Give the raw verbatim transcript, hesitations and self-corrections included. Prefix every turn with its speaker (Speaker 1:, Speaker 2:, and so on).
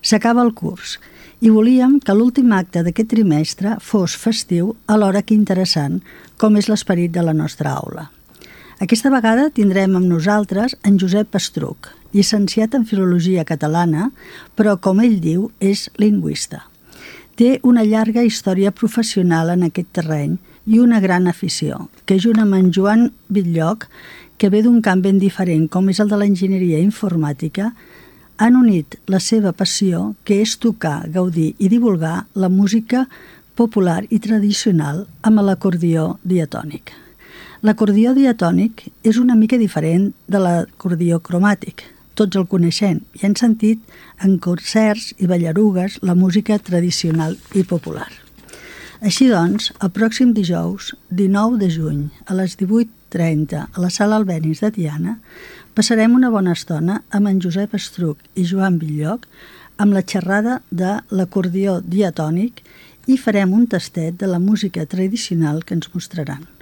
Speaker 1: S'acaba el curs i volíem que l'últim acte d'aquest trimestre fos festiu alhora que interessant, com és l'esperit de la nostra aula. Aquesta vegada tindrem amb nosaltres en Josep Estruch, llicenciat en Filologia Catalana, però, com ell diu, és lingüista. Té una llarga història professional en aquest terreny i una gran afició, que junt amb en Joan Bitlloch, que ve d'un camp ben diferent com és el de l'enginyeria informàtica, han unit la seva passió, que és tocar, gaudir i divulgar la música popular i tradicional amb l'acordió diatònic. L'acordió diatònic és una mica diferent de l'acordió cromàtic. Tots el coneixem i han sentit en concerts i ballarugues la música tradicional i popular. Així doncs, el pròxim dijous, dinou de juny, a les divuit trenta, a la Sala Albéniz de Tiana, passarem una bona estona amb en Josep Estruch i Joan Bitlloch amb la xerrada de l'acordió diatònic i farem un tastet de la música tradicional que ens mostraran.